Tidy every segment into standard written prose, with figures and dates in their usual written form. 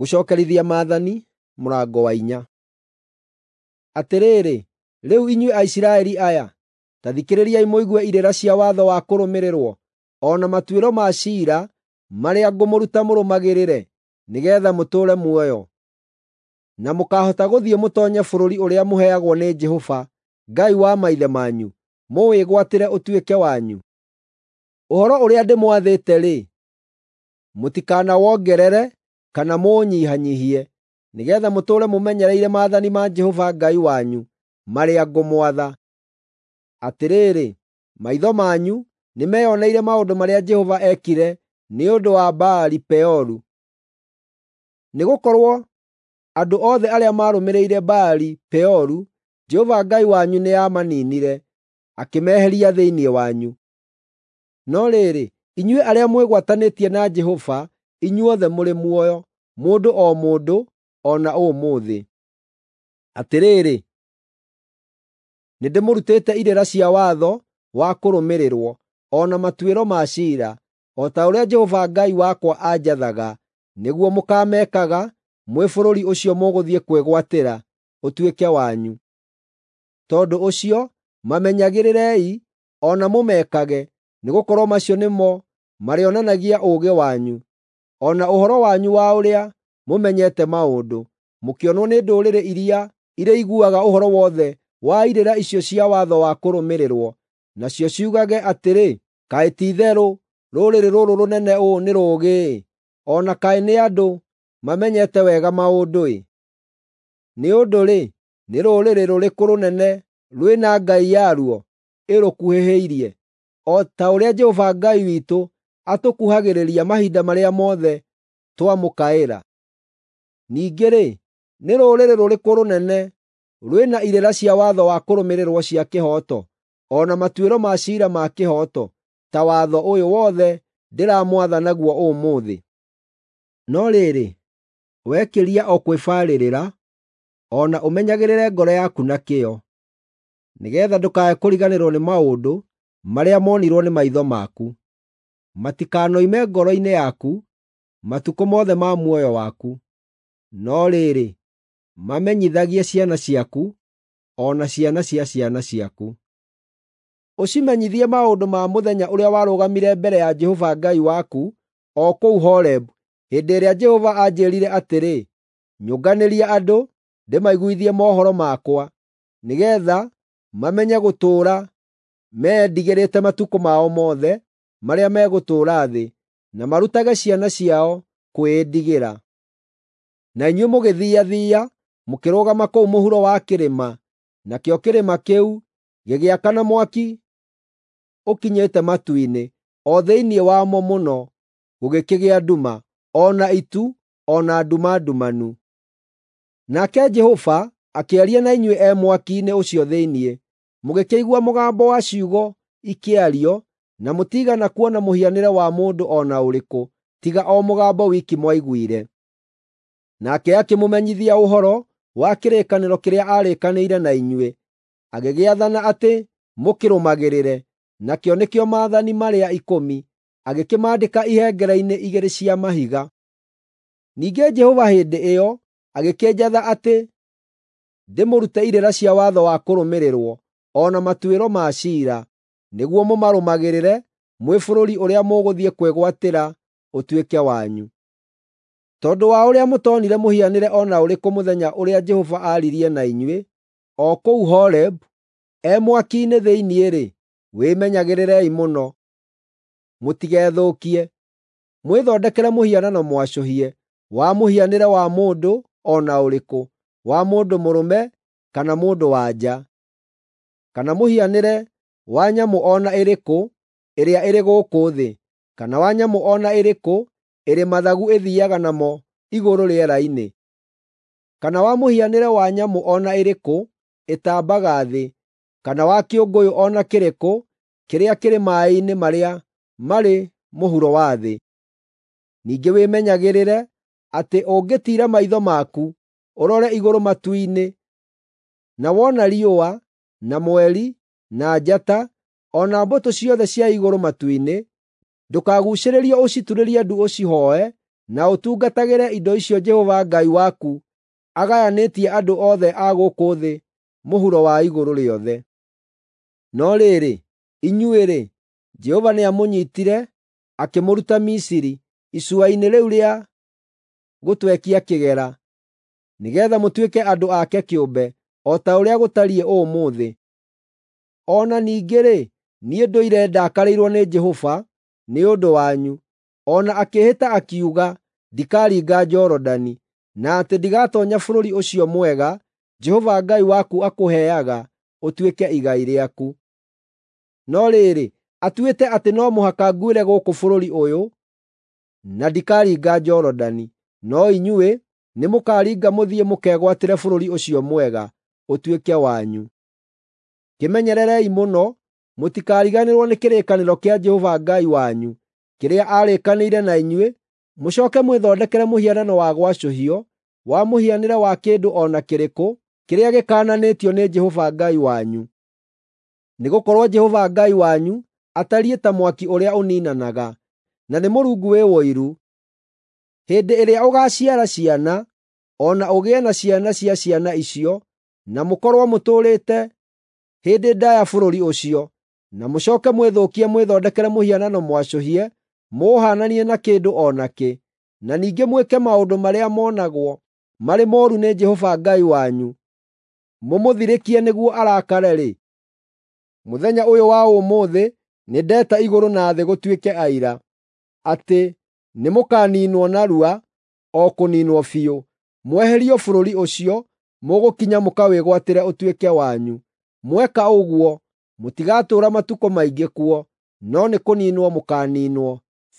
Gũcookerithia maathani mũrango wa 4. Atĩrĩrĩ, rĩu inyuĩ Aisiraeli aya, ta thikĩrĩriai mũigue irĩra cia watho wa kũrũmĩrĩrwo, o na matuĩro ma ciira marĩa ngũmũruta mũrũmagĩrĩre, nĩgeetha mũtũũre muoyo, na mũkaahota gũthiĩ mũtoonye bũrũri ũrĩa mũheagwo nĩ Jehova, Ngai wa maithe manyu, mũwĩgwatĩre ũtuĩke wanyu. Ũhoro ũrĩa ndĩmwathĩte-rĩ, mũtikanawongerere kana mũũnyihanyiihie, nĩgeetha mũtũũre mũmenyereire maathani ma Jehova Ngai wanyu marĩa ngũmwatha. Atĩrĩrĩ, maitho manyu nĩmeyoneire maũndũ marĩa Jehova eekire nĩ ũndũ wa Baali-Peoru. Nĩgũkorwo andũ othe arĩa maarũmĩrĩire Baali-Peoru, Jehova Ngai wanyu nĩamaninire, akĩmeheria thĩinĩ wanyu. No rĩrĩ, inyuĩ arĩa mwĩgwatanĩtie na Jehova, inyuothe mũrĩ muoyo, mũndũ o mũndũ, o na ũmũthĩ. Atĩrĩrĩ, nĩndĩmũrutĩte irĩra cia watho wa kũrũmĩrĩrwo, o na matuĩro ma ciira, o ta ũrĩa Jehova Ngai wakwa aanjathaga, nĩguo mũkaamekaga mwĩ bũrũri ũcio mũgũthiĩ kwĩgwatĩra ũtuĩke wanyu. Tondũ ũcio, mamenyagĩrĩrei o na mũmekage, nĩgũkorwo macio nĩmo marĩonanagia ũũgĩ wanyu, o na ũhoro wanyu wa ũrĩa mũmenyete maũndũ, mũkĩonwo nĩ ndũrĩrĩ iria irĩiguaga ũhoro wothe wa irĩra icio cia watho wa kũrũmĩrĩrwo, nacio ciugage atĩrĩ, “Kaĩ ti-itherũ rũrĩrĩ rũrũ rũnene ũũ nĩ rũũgĩ-ĩ, o na kaĩ nĩ andũ mamenyete wega maũndũ-ĩ!” Nĩ ũndũ-rĩ, nĩ rũrĩrĩ rũrĩkũ rũnene rwĩna ngai yaruo ĩrũkuhĩhĩirie, o ta ũrĩa Jehova Ngai witũ atũkuhagĩrĩria mahinda marĩa mothe twamũkaĩra? Ningĩ-rĩ, nĩ rũrĩrĩ rũrĩkũ rũnene rwĩna irĩra cia watho wa kũrũmĩrĩrwo cia kĩhooto, o na matuĩro ma ciira ma kĩhooto, ta watho ũyũ wothe ndĩramwatha naguo ũmũthĩ? No rĩrĩ, wekĩria o kwĩbarĩrĩra, o na ũmenyagĩrĩre ngoro yaku na kĩyo, nĩgeetha ndũkae kũriganĩrwo nĩ maũndũ marĩa moonirwo nĩ maitho maku. Matikanoime ngoro-inĩ yaku matukũ mothe ma muoyo waku. No rĩrĩ, mamenyithagie ciana ciaku, o na ciana cia ciana ciaku. Ũcimenyithie maũndũ ma mũthenya ũrĩa warũgamire mbere ya Jehova Ngai waku o kũu Horebu, hĩndĩ ĩrĩa Jehova anjĩĩrire atĩrĩ, “Nyũnganĩria andũ, ndĩmaiguithie mohoro makwa, nĩgeetha mamenye gũtũũra meyendigĩrĩte matukũ mao mothe marĩa megũtũũra thĩ, na marutage ciana ciao kwĩĩndigĩra.” Na inyuĩ mũgĩthiiathiia mũkĩrũgama kũu mũhuro wa kĩrĩma, nakĩo kĩrĩma kĩu gĩgĩakana mwaki ũkinyĩte matu-inĩ, o thĩinĩ wamo mũno gũgĩkĩgĩa nduma, o na itu, o na nduma ndumanu. Nake Jehova akĩaria na inyuĩ e mwaki-inĩ ũcio thĩinĩ. Mũgĩkĩigua mũgambo wa ciugo ikĩario, na mũtiigana kuona mũhianĩre wa mũndũ o na ũrĩkũ, tiga o mũgambo wiki mwaiguire. Nake akĩmũmenyithia ũhoro wa kĩrĩkanĩro kĩrĩa aarĩkanĩire na inyuĩ, agĩgĩathana atĩ mũkĩrũmagĩrĩre, nakĩo nĩkĩo maathani marĩa ikũmi, agĩkĩmaandĩka ihengere-inĩ igĩrĩ cia mahiga. Ningĩ Jehova hĩndĩ ĩyo agĩkĩnjatha atĩ ndĩmũrute irĩra cia watho wa kũrũmĩrĩrwo, o na matuĩro ma ciira, nĩguo mũmarũmagĩrĩre mwĩ bũrũri ũrĩa mũgũthiĩ kwĩgwatĩra ũtuĩke wanyu. Tondũ wa ũrĩa mũtoonire mũhianĩre o na ũrĩkũ mũthenya ũrĩa Jehova aaririe na inyuĩ, o kũu Horebu, e mwaki-inĩ thĩinĩ-rĩ, wĩmenyagĩrĩrei mũno mũtigethũkie. Mwĩthondekere mũhianano mwacũhie wa mũhianĩre wa mũndũ o na ũrĩkũ, wa mũndũ mũrũme kana mũndũ-wa-nja, kana mũhianĩre wa nyamũ o na ĩrĩkũ ĩrĩa ĩrĩ gũkũ thĩ, kana wa nyamũ o na ĩrĩkũ ĩrĩ mathagu ĩthiiaga namo igũrũ rĩera-inĩ, kana wa mũhianĩre wa nyamũ o na ĩrĩkũ ĩtambaga thĩ, kana wa kĩũngũyũ o na kĩrĩkũ kĩrĩa kĩrĩ maaĩ-inĩ marĩa marĩ mũhuro wa thĩ. Ningĩ wĩmenyagĩrĩre atĩ ũngĩtiira maitho maku ũrore igũrũ matu-inĩ, na wona riũa, na mweri, na njata, o na mbũtũ ciothe cia igũrũ matu-inĩ, ndũkaguucĩrĩrio ũciturĩrie ndu ũcihooe na ũtungatagĩre indo icio Jehova Ngai waku agayanĩtie andũ othe a gũkũ thĩ mũhuro wa igũrũ rĩothe. No rĩrĩ, inyuĩ-rĩ, Jehova nĩamũnyiitire akĩmũruta Misiri, icua-inĩ rĩu rĩa gũtwekia kĩgera, nĩgeetha mũtuĩke andũ ake kĩũmbe, o ta ũrĩa gũtariĩ ũmũthĩ. O na ningĩ-rĩ, niĩ ndũire ndakarĩirwo nĩ Jehova nĩ ũndũ wanyu, o na akĩĩhĩta akiuga ndikaringa Jorodani, na atĩ ndigatoonya bũrũri ũcio mwega Jehova Ngai waku akũheaga ũtuĩke igai rĩaku. No rĩrĩ, atuĩte atĩ no mũhaka nguĩre gũkũ bũrũri ũyũ, na ndikaringa Jorodani. No inyuĩ nĩmũkaringa mũthiĩ mũkegwatĩre bũrũri ũcio mwega, ũtuĩke wanyu. Kĩmenyererei mũno mũtikariganĩrwo nĩ kĩrĩkanĩro kĩa Jehova Ngai wanyu kĩrĩa aarĩkanĩire na inyuĩ, mũcooke mwĩthondekere mũhianano wa gwacũhio wa mũhianĩre wa kĩndũ o na kĩrĩkũ kĩrĩa gĩkaananĩtio nĩ Jehova Ngai wanyu. Nĩgũkorwo Jehova Ngai wanyu atariĩ ta mwaki ũrĩa ũniinanaga, na nĩ Mũrungu wĩ ũiru. Hĩndĩ ĩrĩa ũgaaciara ciana, o na ũgĩe na ciana cia ciana icio, na mũkorwo mũtũũrĩte hĩndĩ ndaaya bũrũri ũcio, na mũcooke mwĩthũkie mwĩthondekere mũhianano mwacũhie mũũhananie na kĩndũ o nakĩ, na ningĩ mwĩke maũndũ marĩa monagwo marĩ mooru nĩ Jehova Ngai wanyu, mũmũthirĩkie nĩguo arakare-rĩ, mũthenya ũyũ wa ũmũthĩ nĩndeta igũrũ na thĩ gũtuĩke aira, atĩ nĩmũkaniinwo narua, o kũniinwo biũ, mweherio bũrũri ũcio mũgũkinya mũkawĩgwatĩre ũtuĩke wanyu. Mweka ũguo, mũtigatũũra matukũ maingĩ kuo, no nĩ kũniinwo mũkaaniinwo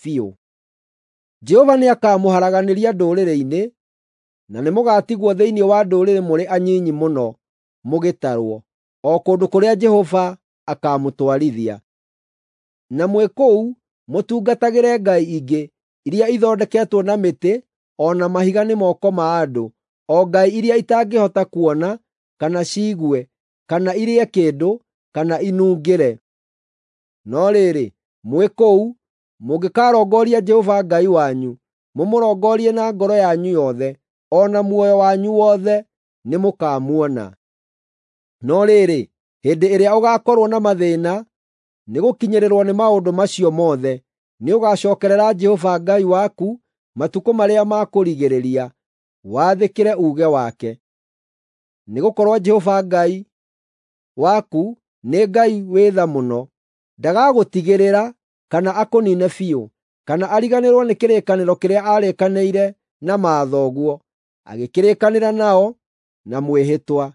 biũ. Jehova nĩakamũharaganĩria ndũrĩrĩ-inĩ, na nĩmũgatigwo thĩinĩ wa ndũrĩrĩ mũrĩ anyinyi mũno mũgĩtarwo, o kũndũ kũrĩa Jehova akaamũtwarithia. Na mwĩ kũu mũtungatagĩre ngai ingĩ iria ithondeketwo na mĩtĩ o na mahiga nĩ moko ma andũ, o ngai iria itangĩhota kuona, kana ciigue, kana irĩe kĩndũ, kana inungĩre. No rĩrĩ, mwĩ kũu mũngĩkarongoria Jehova Ngai wanyu, mũmũrongorie na ngoro yanyu yothe, o na muoyo wanyu wothe, nĩmũkamuona. No rĩrĩ, hĩndĩ ĩrĩa ũgaakorwo na mathĩĩna nĩgũkinyĩrĩrwo nĩ maũndũ macio mothe, nĩũgacookerera Jehova Ngai waku matukũ marĩa ma kũrigĩrĩria, wathĩkĩre uuge wake. Nĩgũkorwo Jehova Ngai waku nĩ Ngai wĩ tha mũno, ndagagũtigĩrĩra kana akũniine biũ, kana ariganĩrwo nĩ kĩrĩkanĩro kĩrĩa aarĩkanĩire na mathoguo, agĩkĩrĩkanĩra nao na mwĩhĩtwa.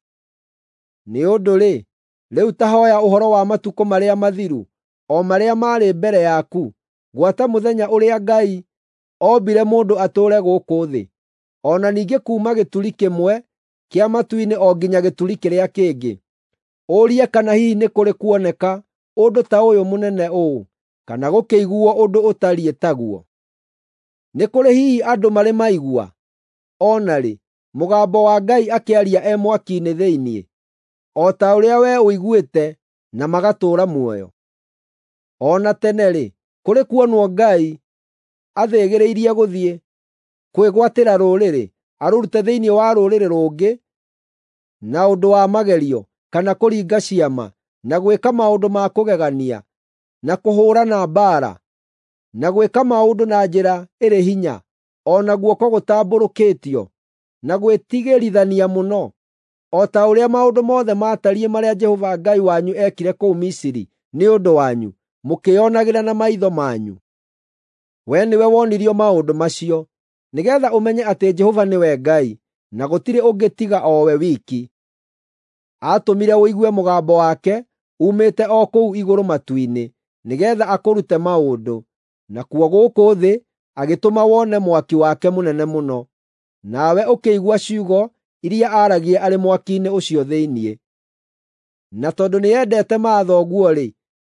Nĩ ũndũ-rĩ, rĩu ta hooya ũhoro wa matukũ marĩa mathiru, o marĩa maarĩ mbere yaku, gwata mũthenya ũrĩa Ngai ombire mũndũ atũũre gũkũ thĩ, o na ningĩ kuuma gĩturi kĩmwe kĩa matu-inĩ o nginya gĩturi kĩrĩa kĩngĩ. Ũrie kana hihi nĩ kũrĩ kuoneka ũndũ ta ũyũ mũnene ũũ, kana gũkĩiguuo ũndũ ũtariĩ taguo. Nĩ kũrĩ hihi andũ marĩ maigua, o na rĩ, mũgambo wa Ngai akĩaria e mwaki-inĩ thĩinĩ, o ta ũrĩa wee ũiguĩte na magatũũra muoyo? O na tene-rĩ, kũrĩ kuonwo Ngai athĩgĩrĩirie gũthiĩ kwĩgwatĩra rũrĩrĩ, arũrute thĩinĩ wa rũrĩrĩ rũngĩ na ũndũ wa magerio, kana kũringa ciama, na gwĩka maũndũ ma kũgegania, na kũhũũrana mbaara, na gwĩka maũndũ na njĩra ĩrĩ hinya, o na guoko gũtambũrũkĩtio, na gwĩtigĩrithania mũno, o ta ũrĩa maũndũ mothe maatariĩ marĩa Jehova Ngai wanyu eekire kũu Misiri nĩ ũndũ wanyu, mũkĩĩonagĩra na maitho manyu? Wee nĩwe wonirio maũndũ macio, nĩgeetha ũmenye atĩ Jehova nĩwe Ngai, na gũtirĩ ũngĩ tiga o we wiki. Aatũmire ũigue mũgambo wake uumĩte o kũu igũrũ matu-inĩ, nĩgeetha akũrute maũndũ, nakuo gũkũ thĩ agĩtũma wone mwaki wake mũnene mũno, nawe ũkĩigua ciugo iria aaragia arĩ mwaki-inĩ ũcio thĩinĩ. Na tondũ nĩendete mathoguo-rĩ,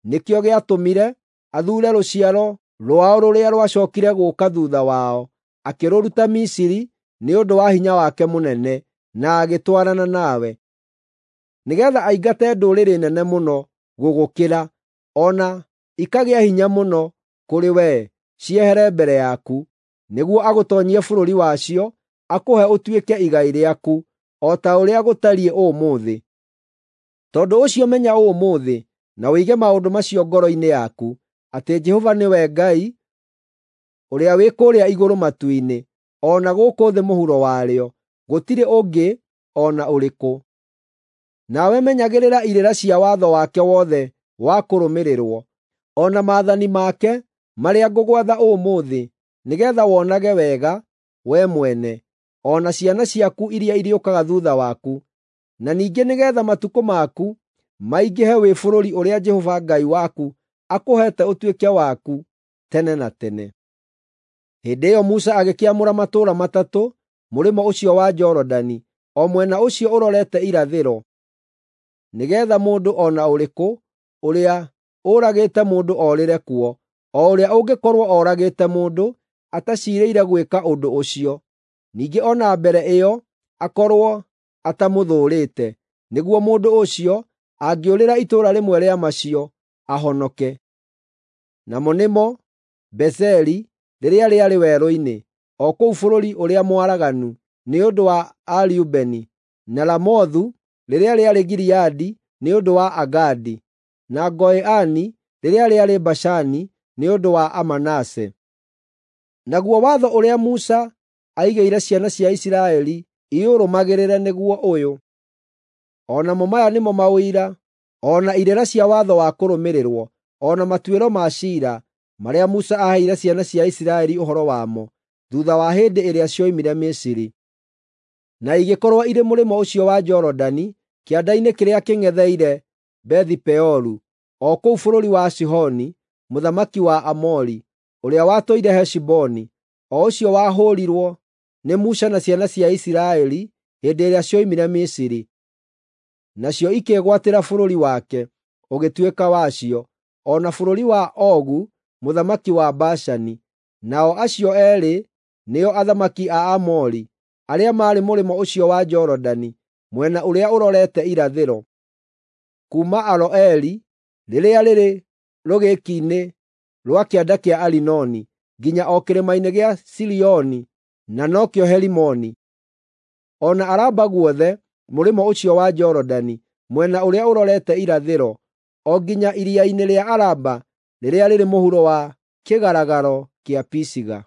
nĩkĩo gĩatũmire athuure rũciaro rwao rũrĩa rwacookire gũũka thuutha wao, akĩrũruta Misiri nĩ ũndũ wa hinya wake mũnene, na agĩtwarana nawe, nĩgeetha aingate ndũrĩrĩ nene mũno gũgũkĩra, o na ikagĩa hinya mũno kũrĩ wee, ciehere mbere yaku, nĩguo agũtoonyie bũrũri wacio, akũhe ũtuĩke igai rĩaku, o ta ũrĩa gũtariĩ ũmũthĩ. Tondũ ũcio menya ũmũthĩ, na ũige maũndũ macio ngoro-inĩ yaku, atĩ Jehova nĩwe Ngai, ũrĩa wĩ kũrĩa igũrũ matu-inĩ, o na gũkũ thĩ mũhuro warĩo, gũtirĩ ũngĩ o na ũrĩkũ. Nawe menyagĩrĩra irĩra cia watho wake wothe wa kũrũmĩrĩrwo, o na maathani make marĩa ngũgwatha ũmũthĩ, nĩgeetha wonage wega wee mwene, o na ciana ciaku iria irĩũkaga thuutha waku, na ningĩ nĩgeetha matukũ maku maingĩhe wĩ bũrũri ũrĩa Jehova Ngai waku akũheete ũtuĩke waku tene na tene. Hĩndĩ ĩyo Musa agĩkĩamũra matũũra 3 mũrĩmo ũcio wa Jorodani, o mwena ũcio ũrorete irathĩro, nĩgeetha mũndũ o na ũrĩkũ ũrĩa ũragĩte mũndũ orĩre kuo, o ũrĩa ũngĩkorwo oragĩte mũndũ ataciirĩire gwĩka ũndũ ũcio, ningĩ o na mbere ĩyo akorwo atamũthũũrĩte, nĩguo mũndũ ũcio angĩũrĩra itũũra rĩmwe rĩa macio ahonoke. Namo nĩmo Bezeri rĩrĩa rĩarĩ werũ-inĩ, o kũu bũrũri ũrĩa mwaraganu, nĩ ũndũ wa Ariubeni, na Ramothu rĩrĩa rĩarĩ Gileadi nĩ ũndũ wa Agadi, na Goiani rĩrĩa rĩarĩ Bashani nĩ ũndũ wa Amanase. Naguo watho ũrĩa Musa aigĩire ciana cia Isiraeli iũrũmagĩrĩre nĩguo ũyũ. O namo maya nĩmo maũira, o na irĩra cia watho wa kũrũmĩrĩrwo, o na matuĩro ma ciira, marĩa Musa aaheire ciana cia Isiraeli ũhoro wamo, thuutha wa hĩndĩ ĩrĩa cioimire Misiri. Na igĩkorwo irĩ mũrĩmo ũcio wa Jorodani, kĩanda-inĩ kĩrĩa kĩng'etheire Bethi-Peoru, o kũu bũrũri wa Sihoni, mũthamaki wa Aamori, ũrĩa watũire Heshiboni, o ũcio wahũũrirwo nĩ Musa na ciana cia Isiraeli hĩndĩ ĩrĩa cioimire Misiri. Nacio ikĩĩgwatĩra bũrũri wake, ũgĩtuĩka wacio, o na bũrũri wa Ogu mũthamaki wa Bashani. Nao acio eerĩ nĩo athamaki a Aamori, arĩa maarĩ mũrĩmo ũcio wa Jorodani, mwena ũrĩa ũrorete irathĩro, kuuma Aroeri rĩrĩa rĩrĩ rũgĩki-inĩ rwa kĩanda kĩa Arinoni, nginya o kĩrĩma-inĩ gĩa Sirioni, na nokĩo Herimoni. O na Araba guothe mũrĩmo ũcio wa Jorodani, mwena ũrĩa ũrorete irathĩro, o nginya iria-inĩ rĩa Araba rĩrĩa rĩrĩ mũhuro wa kĩgaragaro kĩa Pisiga.